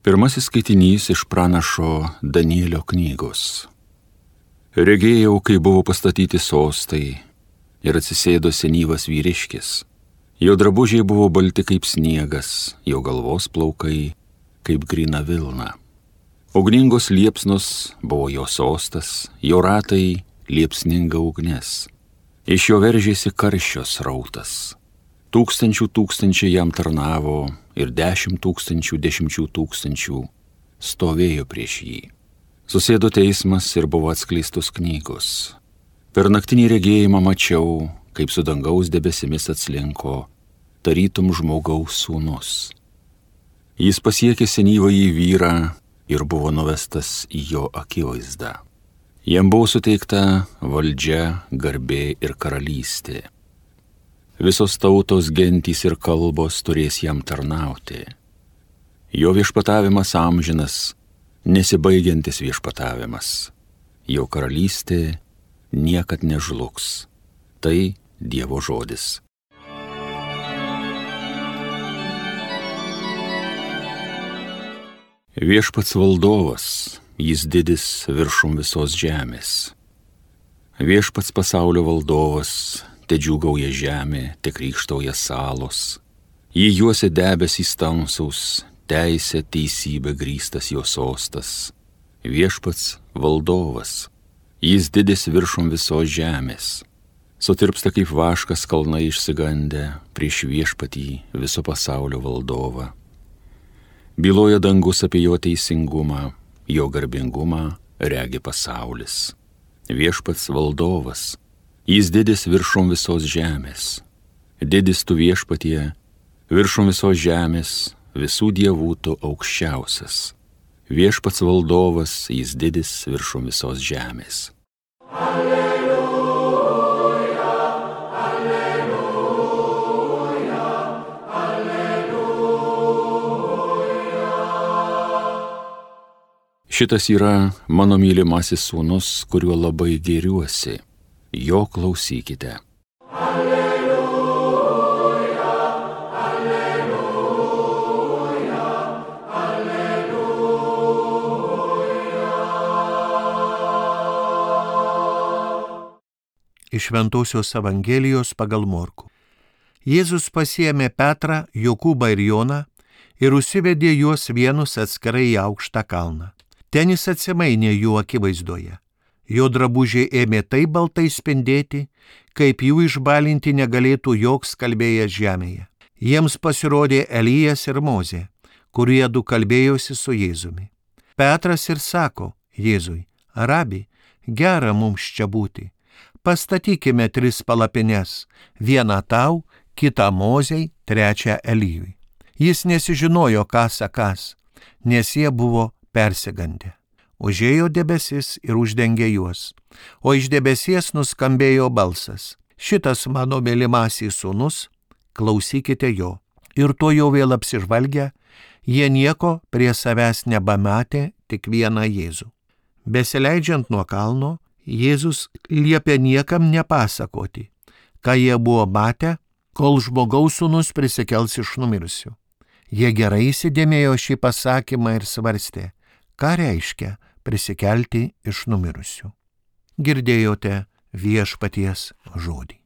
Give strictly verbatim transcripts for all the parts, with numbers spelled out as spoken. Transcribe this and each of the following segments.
Pirmasis skaitinys iš pranašo Danielio knygos. Regėjau, kai buvo pastatyti sostai ir atsisėdo senyvas vyriškis. Jo drabužiai buvo balti kaip sniegas, jo galvos plaukai kaip gryna vilna. Ugningos liepsnos buvo jo sostas, jo ratai liepsninga ugnis. Iš jo veržėsi karščio srautas. Tūkstančių tūkstančiai jam tarnavo ir dešimt tūkstančių dešimčių tūkstančių stovėjo prieš jį. Susėdo teismas ir buvo atskleistos knygos. Per naktinį regėjimą mačiau, kaip su dangaus debesimis atslinko, tarytum žmogaus sūnus. Jis pasiekė senyvąjį vyrą ir buvo nuvestas į jo akivaizdą. Jam buvo suteikta valdžia, garbė ir karalystė. Visos tautos, gentys ir kalbos turės jam tarnauti. Jo viešpatavimas amžinas, nesibaigiantis viešpatavimas. Jo karalystė niekad nežlugs. Tai Dievo žodis. Viešpats valdovas, jis didis viršum visos žemės. Viešpats pasaulio valdovas, te džiūgauja žemė, te krykštauja salos. Jį juosia debesys tamsaus, teisė, teisybė grįstas jo sostas. Viešpats valdovas, jis didis viršum visos žemės. Sutirpsta kaip vaškas kalnai išsigandę prieš viešpatį viso pasaulio valdovą. Byloja dangus apie jo teisingumą, jo garbingumą regi pasaulis. Viešpats valdovas, jis didis viršum visos žemės. Didis tu viešpatie, viršum visos žemės, visų dievų tu aukščiausias. Viešpats valdovas, jis didis viršum visos žemės. Alleluja, alleluja, alleluja. Šitas yra mano mylimasis sūnus, kuriuo labai gėriuosi. Jo klausykite. Alleluja, alleluja, alleluja. Iš Šventosios Evangelijos pagal Morkų. Jėzus pasiėmė Petrą, Jokūbą ir Joną ir užsivedė juos vienus atskirai į aukštą kalną. Ten jis atsimainė jų akivaizdoje. Jo drabužiai ėmė taip baltai spindėti, kaip jų išbalinti negalėtų joks kalbėjęs žemėje. Jiems pasirodė Elijas ir Mozė, kurie du kalbėjosi su Jėzumi. Petras ir sako Jėzui: Rabi, gera mums čia būti. Pastatykime tris palapines, vieną tau, kitą Mozei, trečią Elijui. Jis nesižinojo, ką sakąs, nes jie buvo persigandę. Užėjo debesis ir uždengė juos, o iš debesies nuskambėjo balsas: Šitas mano mylimasis sūnus, klausykite jo. Ir to jau vėl apsižvalgę, jie nieko prie savęs nebematė, tik vieną Jėzų. Besileidžiant nuo kalno, Jėzus liepė niekam nepasakoti, ką jie buvo matę, kol žmogaus sūnus prisikels iš numirusių. Jie gerai įsidėmėjo šį pasakymą ir svarstė, ką reiškia prisikelti iš numirusių. Girdėjote viešpaties žodį.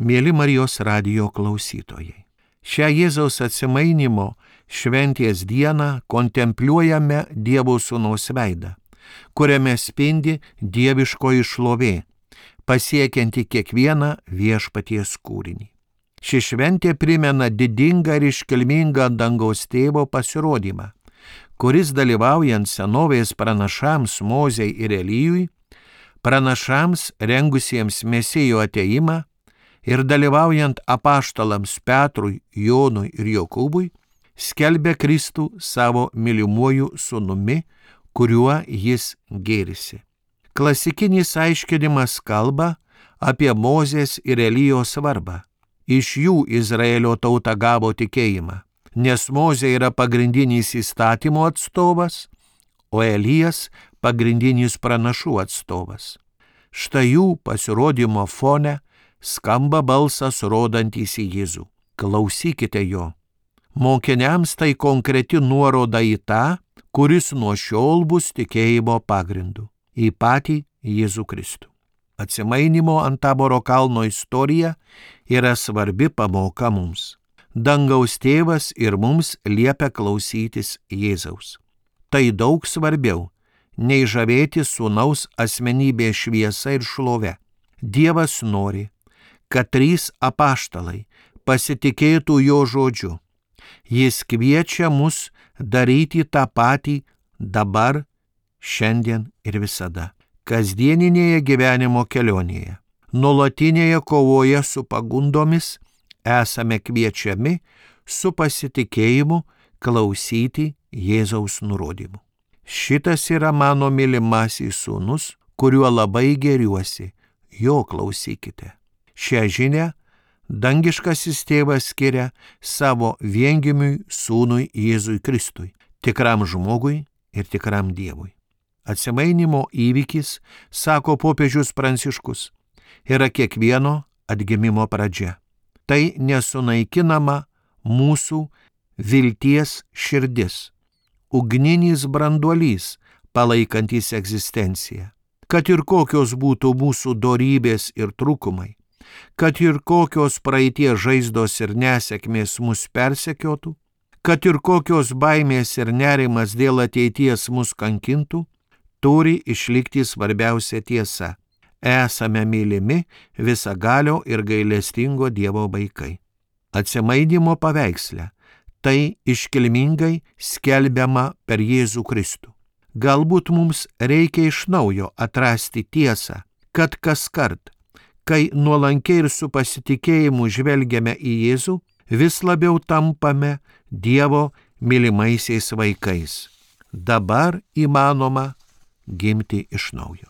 Mieli Marijos radijo klausytojai, šią Jėzaus atsimainimo šventės dieną kontempliuojame Dievo Sūnaus veidą, kuriame spindi dieviškoji šlovė, pasiekianti kiekvieną viešpaties kūrinį. Ši šventė primena didingą ir iškilmingą dangaus tėvo pasirodymą, kuris dalyvaujant senovės pranašams Mozei ir Elijui, pranašams rengusiems Mesijo atėjimą ir dalyvaujant apaštalams Petrui, Jonui ir Jokūbui, skelbė Kristų savo mylimuoju sūnumi, kuriuo jis gėrisi. Klasikinis aiškinimas kalba apie Mozės ir Elijos svarbą. Iš jų Izraelio tauta gavo tikėjimą, nes Mozė yra pagrindinis įstatymo atstovas, o Elijas pagrindinis pranašų atstovas. Štai jų pasirodymo fone skamba balsas rodantys į Jėzų. Klausykite jo. Mokiniams tai konkreti nuoroda į tą, kuris nuo šiol bus tikėjimo pagrindu, į patį Jėzų Kristų. Atsimainimo ant Taboro kalno istorija yra svarbi pamoka mums. Dangaus tėvas ir mums liepia klausytis Jėzaus. Tai daug svarbiau, nei žavėti sūnaus asmenybės šviesa ir šlove. Dievas nori, kad trys apaštalai pasitikėtų jo žodžiu. Jis kviečia mus daryti tą patį dabar, šiandien ir visada. Kasdieninėje gyvenimo kelionėje, nuolatinėje kovoje su pagundomis esame kviečiami su pasitikėjimu klausyti Jėzaus nurodymų. Šitas yra mano mylimasis sūnus, kuriuo labai gėriuosi, jo klausykite. Šią žinią dangiškasis tėvas skiria savo viengimiui sūnui Jėzui Kristui, tikram žmogui ir tikram Dievui. Atsimainimo įvykis, sako popiežius Pranciškus, yra kiekvieno atgimimo pradžia. Tai nesunaikinama mūsų vilties širdis, ugninis branduolys palaikantis egzistenciją. Kad ir kokios būtų mūsų dorybės ir trūkumai, kad ir kokios praeities žaizdos ir nesėkmės mus persekiotų, kad ir kokios baimės ir nerimas dėl ateities mus kankintų, turi išlikti svarbiausia tiesa. Esame mylimi visagalio ir gailestingo Dievo vaikai. Atsimainimo paveiksle tai iškilmingai skelbiama per Jėzų Kristų. Galbūt mums reikia iš naujo atrasti tiesą, kad kaskart, kai nuolankiai ir su pasitikėjimu žvelgiame į Jėzų, vis labiau tampame Dievo mylimaisiais vaikais. Dabar įmanoma gimti iš naujo.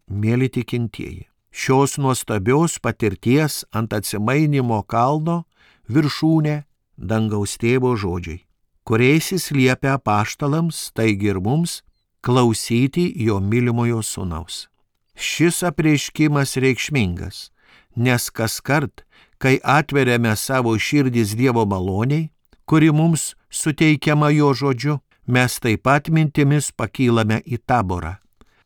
Mėly tikintieji, šios nuostabios patirties ant atsimainimo kalno viršūnė dangaus tėvo žodžiai, kuriais jis liepia apaštalams, taigi ir mums, klausyti jo mylimojo sūnaus. Šis apreiškimas reikšmingas, nes kaskart, kai atveriame savo širdis Dievo maloniai, kuri mums suteikiama jo žodžiu, mes taip pat mintimis pakylame į Taborą,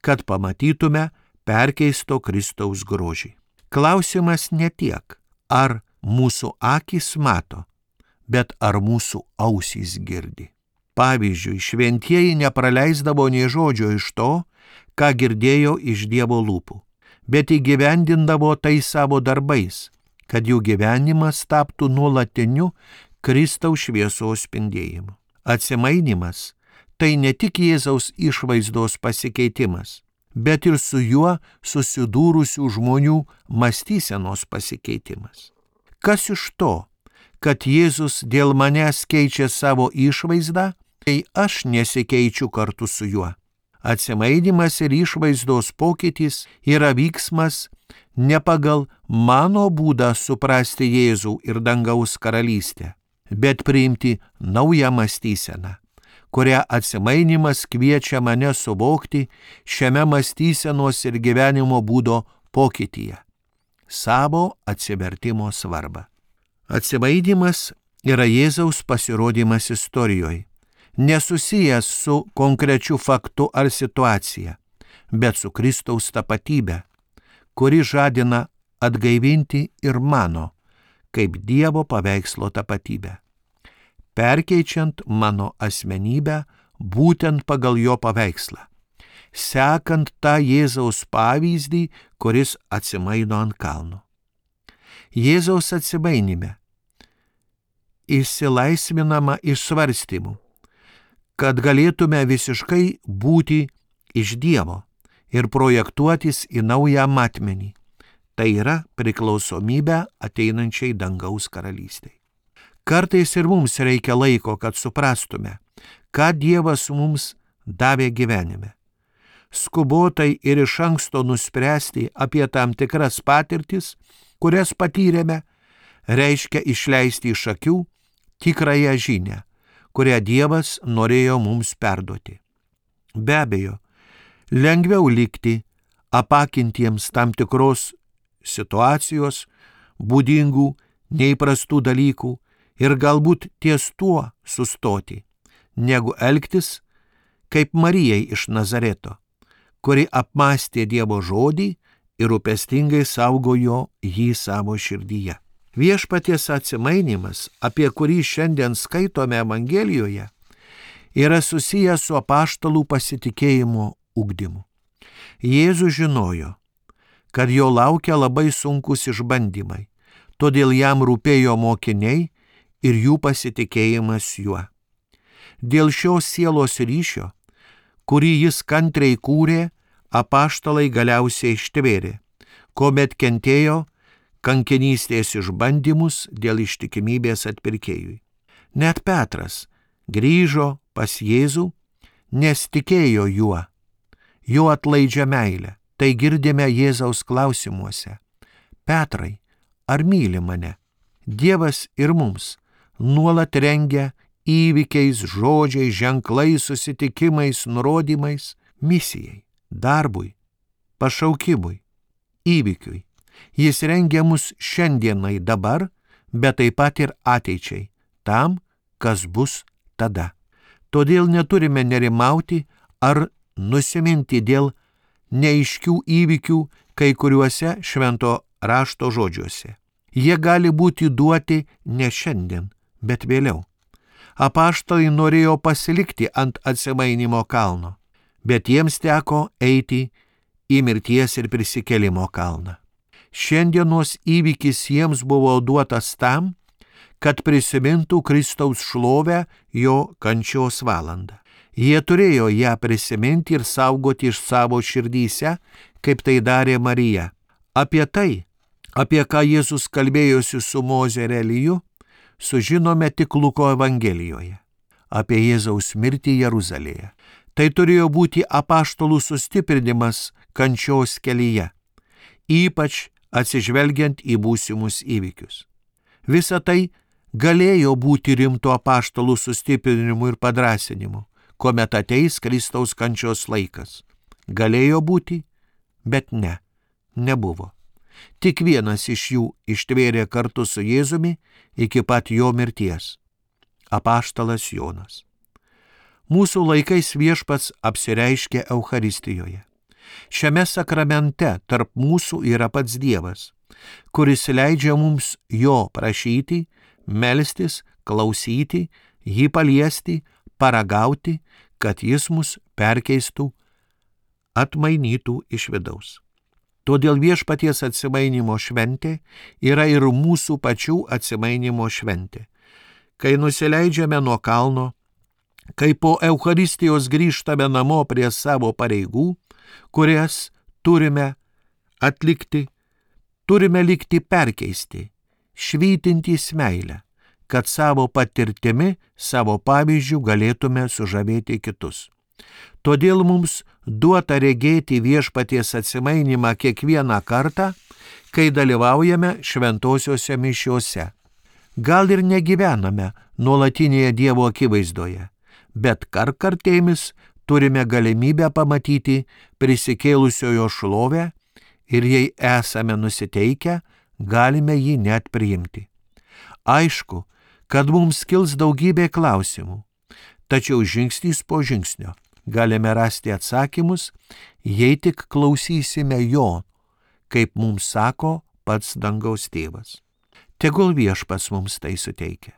kad pamatytume perkeisto Kristaus grožį. Klausimas ne tiek, ar mūsų akys mato, bet ar mūsų ausys girdi. Pavyzdžiui, šventieji nepraleisdavo nė žodžio iš to, ką girdėjo iš Dievo lūpų, bet įgyvendindavo tai savo darbais, kad jų gyvenimas taptų nuolatiniu Kristaus šviesos spindėjimu. Atsimainimas tai ne tik Jėzaus išvaizdos pasikeitimas, bet ir su juo susidūrusių žmonių mąstysenos pasikeitimas. Kas iš to, kad Jėzus dėl manęs keičia savo išvaizdą, kai aš nesikeičiu kartu su juo? Atsimainimas ir išvaizdos pokytis yra vyksmas ne pagal mano būdą suprasti Jėzų ir dangaus karalystę, bet priimti naują mąstyseną, kurią atsimainimas kviečia mane suvokti šiame mąstysenos ir gyvenimo būdo pokytyje, savo atsivertimo svarbą. Atsimainimas yra Jėzaus pasirodymas istorijoje, nesusijęs su konkrečiu faktu ar situacija, bet su Kristaus tapatybė, kuri žadina atgaivinti ir mano, kaip Dievo paveikslo tapatybę, perkeičiant mano asmenybę būtent pagal jo paveikslą, sekant tą Jėzaus pavyzdį, kuris atsimaino ant kalno. Jėzaus atsimainime išsilaisvinama iš svarstymų, kad galėtume visiškai būti iš Dievo ir projektuotis į naują matmenį, tai yra priklausomybę ateinančiai dangaus karalystei. Kartais ir mums reikia laiko, kad suprastume, ką Dievas mums davė gyvenime. Skubotai ir iš anksto nuspręsti apie tam tikras patirtis, kurias patyrėme, reiškia išleisti iš akių tikrąją žinią, kurią Dievas norėjo mums perduoti. Be abejo, lengviau likti apakintiems tam tikros situacijos, būdingų, neįprastų dalykų ir galbūt ties tuo sustoti, negu elgtis kaip Marijai iš Nazareto, kuri apmąstė Dievo žodį ir rūpestingai saugojo jį savo širdyje. Viešpaties atsimainimas, apie kurį šiandien skaitome Evangelijoje, yra susijęs su apaštalų pasitikėjimo ugdymu. Jėzus žinojo, kad jo laukia labai sunkus išbandymai, todėl jam rūpėjo mokiniai ir jų pasitikėjimas juo. Dėl šios sielos ryšio, kurį jis kantriai kūrė, apaštalai galiausiai ištvėrė, kuomet kentėjo kankinystės išbandymus dėl ištikimybės atpirkėjui. Net Petras grįžo pas Jėzų, nes tikėjo juo, jo atlaidžia meilę. Tai girdime Jėzaus klausimuose. Petrai, ar myli mane? Dievas ir mums nuolat rengia įvykiais, žodžiais, ženklais, susitikimais, nurodymais, misijai, darbui, pašaukimui, įvykiui. Jis rengia mus šiandienai dabar, bet taip pat ir ateičiai, tam, kas bus tada. Todėl neturime nerimauti ar nusiminti dėl neaiškių įvykių kai kuriuose švento rašto žodžiuose. Jie gali būti duoti ne šiandien, bet vėliau. Apaštalai norėjo pasilikti ant atsimainimo kalno, bet jiems teko eiti į mirties ir prisikėlimo kalną. Šiandienos įvykis jiems buvo duotas tam, kad prisimintų Kristaus šlovę jo kančios valandą. Jie turėjo ją prisiminti ir saugoti iš savo širdyse, kaip tai darė Marija. Apie tai, apie ką Jėzus kalbėjosi su Moze ir Eliju, sužinome tik Luko Evangelijoje. Apie Jėzaus mirtį Jeruzalėje. Tai turėjo būti apaštalų sustiprinimas kančios kelyje, ypač atsižvelgiant į būsimus įvykius. Visa tai galėjo būti rimto apaštalų sustiprinimu ir padrąsinimu, kuomet ateis Kristaus kančios laikas. Galėjo būti, bet ne, nebuvo. Tik vienas iš jų ištvėrė kartu su Jėzumi iki pat jo mirties – apaštalas Jonas. Mūsų laikais Viešpats apsireiškė Eucharistijoje. Šiame sakramente tarp mūsų yra pats Dievas, kuris leidžia mums jo prašyti, melstis, klausyti, jį paliesti, paragauti, kad jis mus perkeistų, atmainytų iš vidaus. Todėl Viešpaties atsimainimo šventė yra ir mūsų pačių atsimainimo šventė. Kai nusileidžiame nuo kalno, kai po Eucharistijos grįžtame namo prie savo pareigų, kurias turime atlikti, turime likti perkeisti, švytintys meilę, kad savo patirtimi, savo pavyzdžių galėtume sužavėti kitus. Todėl mums duota regėti Viešpaties atsimainimą kiekvieną kartą, kai dalyvaujame šventosiuose mišiuose. Gal ir negyvename nuolatinėje Dievo akivaizdoje, bet kartkartėmis turime galimybę pamatyti prisikėlusiojo šlovę ir jei esame nusiteikę, galime jį net priimti. Aišku, kad mums kils daugybė klausimų, tačiau žingsnis po žingsnio galime rasti atsakymus, jei tik klausysime jo, kaip mums sako pats dangaus tėvas. Tegul Viešpats mums tai suteikia.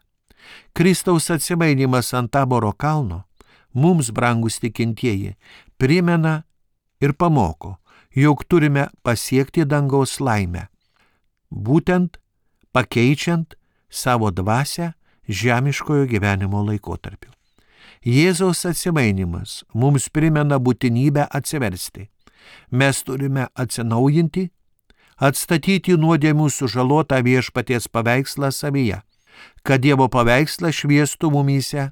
Kristaus atsimainimas ant Taboro kalno mums, brangus tikintieji, primena ir pamoko, jog turime pasiekti dangaus laimę, būtent pakeičiant savo dvasią žemiškojo gyvenimo laikotarpiu. Jėzaus atsimainimas mums primena būtinybę atsiversti. Mes turime atsinaujinti, atstatyti nuodėmių sužalotą Viešpaties paveikslą savyje, kad Dievo paveikslas šviestų mumyse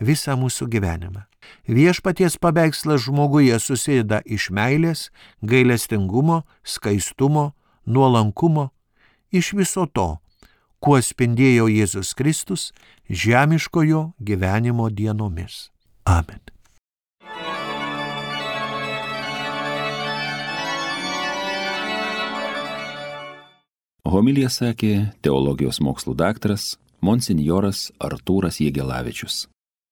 visą mūsų gyvenimą. Viešpaties paveikslas žmoguje susideda iš meilės, gailestingumo, skaistumo, nuolankumo, iš viso to, kuo spindėjo Jėzus Kristus žemiškojo gyvenimo dienomis. Amen. Homiliją sakė teologijos mokslų daktaras monsinjoras Artūras Jėgelavičius.